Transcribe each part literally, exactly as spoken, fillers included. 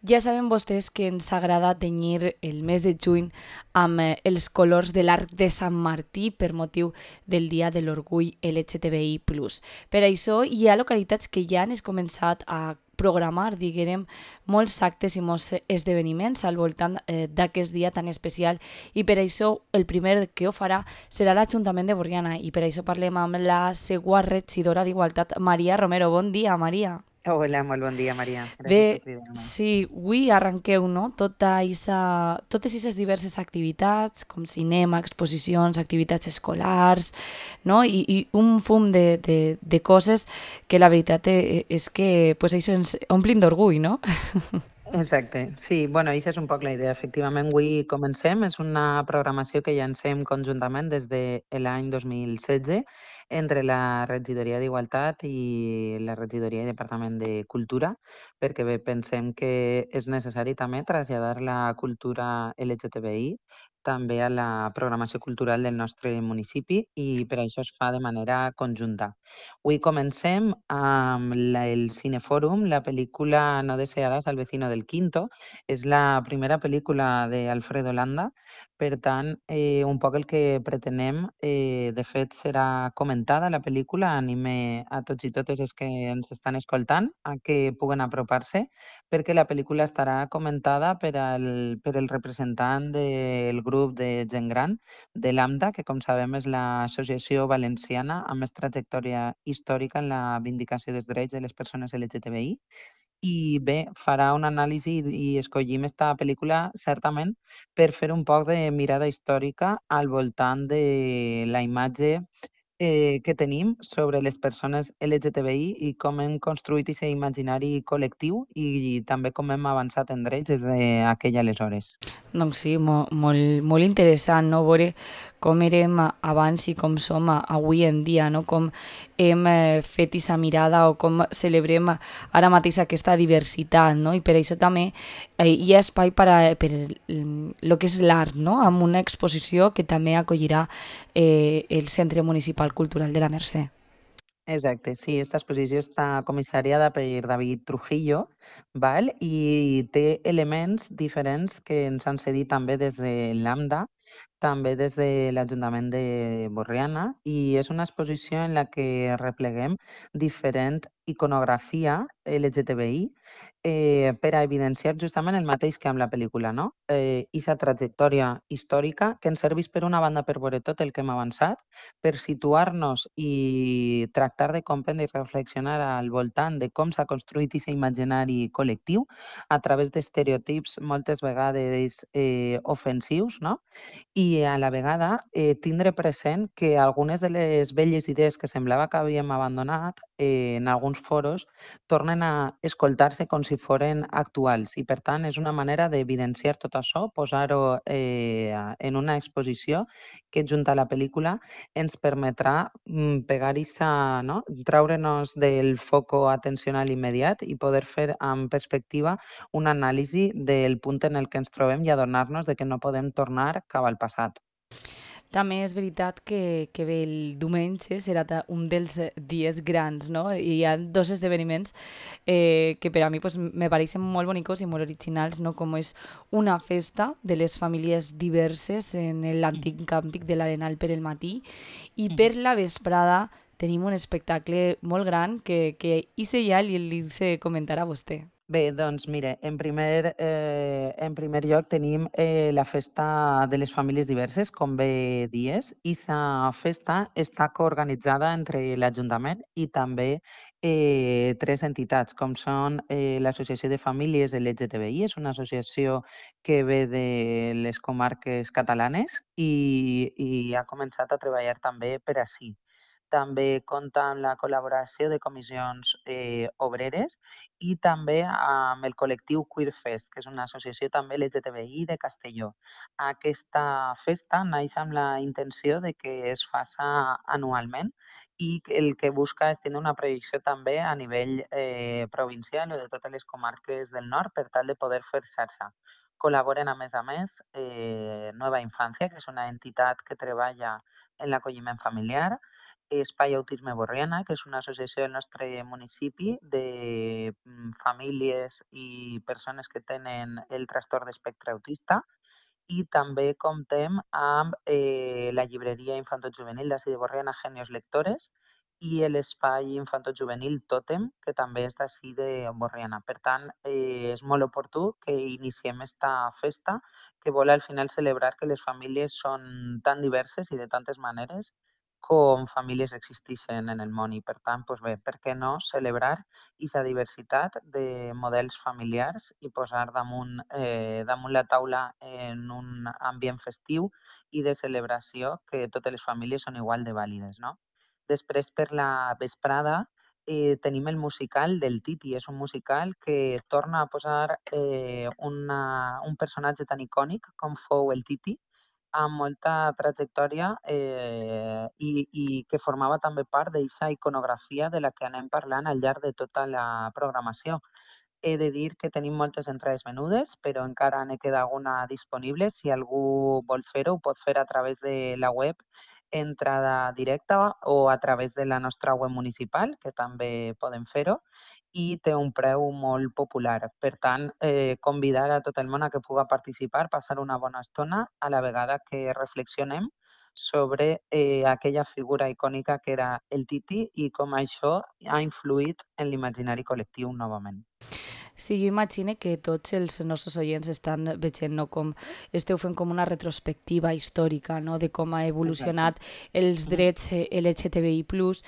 Ja saben vostès que ens agrada tenyir el mes de juny amb eh, els colors de l'arc de Sant Martí per motiu del Dia de l'Orgull L G T B I plus. Per això hi ha localitats que ja han es començat a programar, diguem, molts actes i molts esdeveniments al voltant eh, d'aquest dia tan especial i per això el primer que ho farà serà l'Ajuntament de Borriana i per això parlem amb la segua regidora d'Igualtat, Maria Romero. Bon dia, Maria. Hola, molt bon dia, Maria. Gràcies per Bé, cridar-me. sí, avui arrenqueu, no? Tota isa, totes aquestes diverses activitats, com cinema, exposicions, activitats escolars, no? I, i un fum de, de, de coses que la veritat e- és que pues, això ens omplin d'orgull, no? Exacte. Sí, bueno, això és un poc la idea. Efectivament, avui comencem. És una programació que llancem conjuntament des de l'any dos mil setze entre la Regidoria d'Igualtat i la Regidoria i Departament de Cultura, perquè bé, pensem que és necessari també traslladar la cultura L G T B I també a la programació cultural del nostre municipi i per això es fa de manera conjunta. Avui comencem amb la, el Cinefòrum, la pel·lícula No desearás al vecino del quinto. És la primera pel·lícula d'Alfredo Landa, per tant, eh, un poc el que pretenem, eh, de fet, serà comentada la pel·lícula. Anime a tots i totes els que ens estan escoltant a que puguen apropar-se, perquè la pel·lícula estarà comentada per al, per el representant del grup de gent gran de l'AMDA, que com sabem és l'associació valenciana amb més trajectòria històrica en la vindicació dels drets de les persones L G T B I. I bé, farà una anàlisi i escollim esta pel·lícula certament per fer un poc de mirada històrica al voltant de la imatge eh, que tenim sobre les persones L G T B I i com hem construït aquest imaginari col·lectiu i, també com hem avançat en drets des d'aquell aleshores. Doncs sí, mo, molt, molt interessant, no? Veure com érem abans i com som avui en dia, no? Com hem eh, fet aquesta mirada o com celebrem ara mateix aquesta diversitat, no? I per això també eh, hi ha espai per, a, per el que és l'art, no? Amb una exposició que també acollirà eh, el Centre Municipal Cultural de la Mercè. Exacte, sí, esta exposició està comissariada per David Trujillo, val? I té elements diferents que ens han cedit també des de l'AMDA, també des de l'Ajuntament de Borriana, i és una exposició en la que repleguem diferent iconografia L G T B I eh, per a evidenciar justament el mateix que amb la pel·lícula, no? Eh, i sa trajectòria històrica que ens serveix per una banda per veure tot el que hem avançat, per situar-nos i tractar de comprendre i reflexionar al voltant de com s'ha construït aquest imaginari col·lectiu a través d'estereotips moltes vegades eh, ofensius, no? I a la vegada eh, tindre present que algunes de les velles idees que semblava que havíem abandonat eh, en alguns foros tornen a escoltar-se com si foren actuals i per tant és una manera d'evidenciar tot això, posar-ho eh, en una exposició que junt a la pel·lícula ens permetrà mm, pegar-hi, no? Treure'ns del foco atencional immediat i poder fer amb perspectiva una anàlisi del punt en el que ens trobem i adonar-nos de que no podem tornar cap al passat. També és veritat que, que bé, el diumenge serà ta- un dels eh, dies grans, no? I hi ha dos esdeveniments eh, que per a mi pues, me pareixen molt bonicos i molt originals, no? Com és una festa de les famílies diverses en l'antic càmping de l'Arenal per el matí i per la vesprada tenim un espectacle molt gran que, que Ise ja li, li se comentarà a vostè. Bé, doncs mire, en primer, eh, en primer lloc tenim eh, la festa de les famílies diverses, com bé dies, i la festa està coorganitzada entre l'Ajuntament i també eh, tres entitats, com són eh, l'Associació de Famílies L G T B I, és una associació que ve de les comarques catalanes i, i ha començat a treballar també per ací. També compta amb la col·laboració de comissions eh, obreres i també amb el col·lectiu Queer Fest, que és una associació també L G T B I de Castelló. Aquesta festa naix amb la intenció de que es faça anualment i que el que busca és tenir una projecció també a nivell eh, provincial o de totes les comarques del nord per tal de poder fer xarxa. Col·laboren, a més a més, eh, Nueva Infància, que és una entitat que treballa en l'acolliment familiar, Espai Autisme Borriana, que és una associació del nostre municipi de mm, famílies i persones que tenen el trastorn d'espectre autista, i també comptem amb eh, la llibreria infantojuvenil d'ací de Borriana, Genios Lectores, i l'espai infantojuvenil Tòtem, que també és d'ací de Borriana. Per tant, eh, és molt oportú que iniciem esta festa, que vol al final celebrar que les famílies són tan diverses i de tantes maneres com famílies existeixen en el món, i per tant, doncs bé, per què no celebrar aquesta diversitat de models familiars i posar damunt, eh, damunt la taula en un ambient festiu i de celebració que totes les famílies són igual de vàlides, no? Després, per la vesprada, eh, tenim el musical del Titi. És un musical que torna a posar eh, una, un personatge tan icònic com fou el Titi, amb molta trajectòria eh, i, i que formava també part d'aquesta iconografia de la que anem parlant al llarg de tota la programació. He de dir que tenim moltes entrades menudes, però encara ne queda alguna disponible. Si algú vol fer-ho, ho pot fer a través de la web entrada directa o a través de la nostra web municipal, que també podem fer-ho, i té un preu molt popular. Per tant, eh, convidar a tot el món a que puga participar, passar una bona estona, a la vegada que reflexionem sobre eh, aquella figura icònica que era el Titi i com això ha influït en l'imaginari col·lectiu novament. Sí, jo imagino que tots els nostres oients estan veient no, com esteu fent com una retrospectiva històrica no, de com ha evolucionat Exacte. els drets L G T B I plus,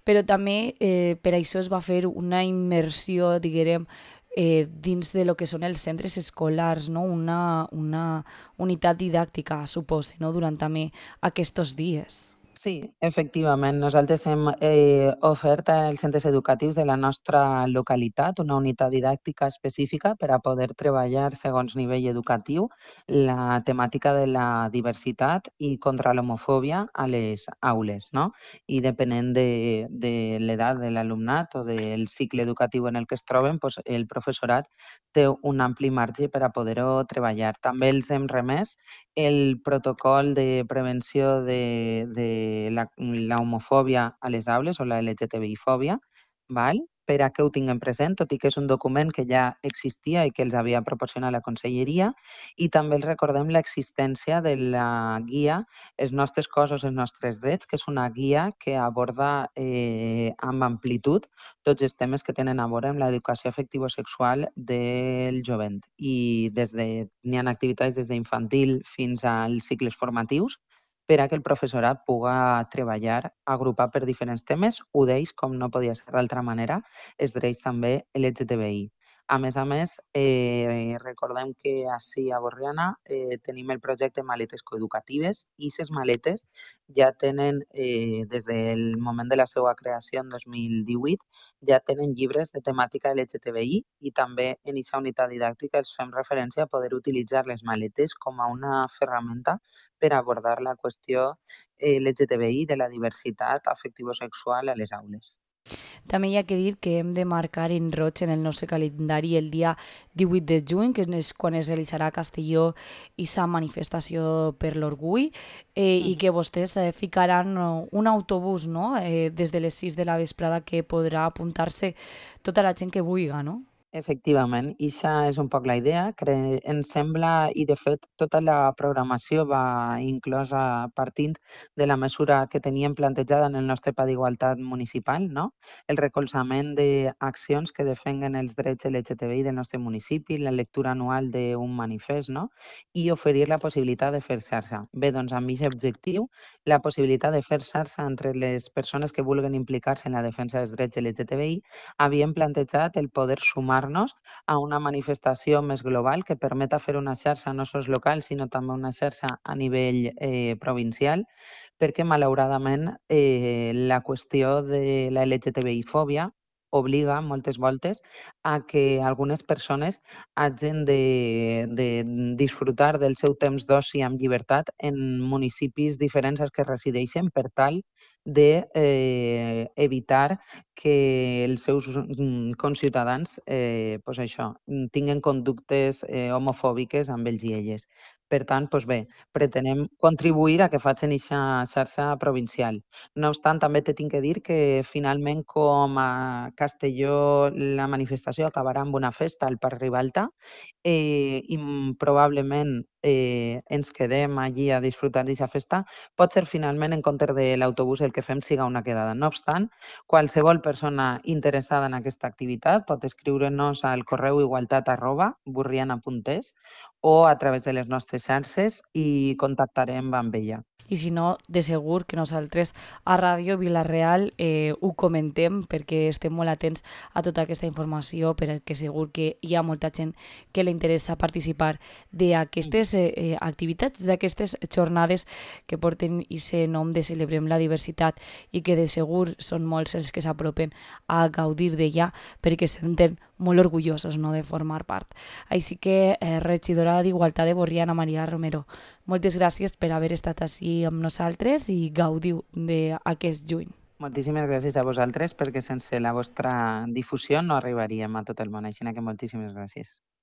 però també eh, per això es va fer una immersió, diguem, eh, dins de lo que són els centres escolars, no? una, una unitat didàctica, supose, no? durant també aquests dies. Sí, efectivament. Nosaltres hem eh, ofert als centres educatius de la nostra localitat una unitat didàctica específica per a poder treballar segons nivell educatiu la temàtica de la diversitat i contra l'homofòbia a les aules, no? I depenent de, de l'edat de l'alumnat o del cicle educatiu en el que es troben, doncs el professorat té un ampli marge per a poder-ho treballar. També els hem remès el protocol de prevenció de, de la, la homofòbia a les aules o la L G T B I fòbia, val? Per a que ho tinguem present, tot i que és un document que ja existia i que els havia proporcionat la Conselleria, i també els recordem l'existència de la guia Els nostres cossos, els nostres drets, que és una guia que aborda eh, amb amplitud tots els temes que tenen a veure amb l'educació afectivo-sexual del jovent. I des de, n'hi ha activitats des d'infantil fins als cicles formatius, per a que el professorat puga treballar agrupat per diferents temes. Un d'ells, com no podia ser d'altra manera, és drets també L G T B I. A més a més, eh, recordem que ací a Borriana eh, tenim el projecte Maletes Coeducatives, i aquestes maletes ja tenen, eh, des del moment de la seva creació en dos mil divuit, ja tenen llibres de temàtica L G T B I, i també en aquesta unitat didàctica els fem referència a poder utilitzar les maletes com a una ferramenta per abordar la qüestió L G T B I de la diversitat afectivo-sexual a les aules. També hi ha que dir que hem de marcar en roig en el nostre calendari el dia divuit de juny, que és quan es realitzarà a Castelló aquesta manifestació per l'orgull, eh, i que vostès eh, ficaran un autobús no? eh, des de les sis de la vesprada que podrà apuntar-se tota la gent que vulgui, no? Efectivament, i això és un poc la idea. Cre ens sembla, i de fet tota la programació va inclosa partint de la mesura que teníem plantejada en el nostre pla d'igualtat municipal, no? El recolzament d'accions que defenguen els drets L G T B I del nostre municipi, la lectura anual d'un manifest, no? I oferir la possibilitat de fer xarxa. Bé, doncs amb aquest objectiu, la possibilitat de fer xarxa entre les persones que vulguin implicar-se en la defensa dels drets L G T B I, havíem plantejat el poder sumar a una manifestació més global que permeta fer una xarxa no sols local, sinó també una xarxa a nivell eh, provincial, perquè malauradament eh, la qüestió de la L G T B I fòbia obliga moltes voltes a que algunes persones hagin de, de disfrutar del seu temps d'oci amb llibertat en municipis diferents als que resideixen per tal d'evitar de, eh, evitar que els seus mm, conciutadans eh, pues això, tinguen conductes eh, homofòbiques amb ells i elles. Per tant, doncs bé, pretenem contribuir a que facin eixa xarxa provincial. No obstant, també te tinc que dir que finalment, com a Castelló, la manifestació acabarà amb una festa al Parc Ribalta, eh, i mm, probablement eh, ens quedem allí a disfrutar d'aquesta festa. Pot ser finalment en comptes de l'autobús el que fem siga una quedada. No obstant, qualsevol persona interessada en aquesta activitat pot escriure'ns al correu igualtat arroba burriana punt es o a través de les nostres xarxes i contactarem amb ella. I si no, de segur que nosaltres a Ràdio Vila-real eh, ho comentem perquè estem molt atents a tota aquesta informació, perquè segur que hi ha molta gent que li interessa participar d'aquestes eh, eh, activitats, d'aquestes jornades que porten aquest nom de Celebrem la Diversitat i que de segur són molts els que s'apropen a gaudir d'ella perquè se senten molt orgullosos, no, de formar part. Així que, eh, regidora d'Igualtat de Borriana, Maria Romero, moltes gràcies per haver estat ací amb nosaltres i gaudiu d'aquest juny. Moltíssimes gràcies a vosaltres perquè sense la vostra difusió no arribaríem a tot el món, així que moltíssimes gràcies.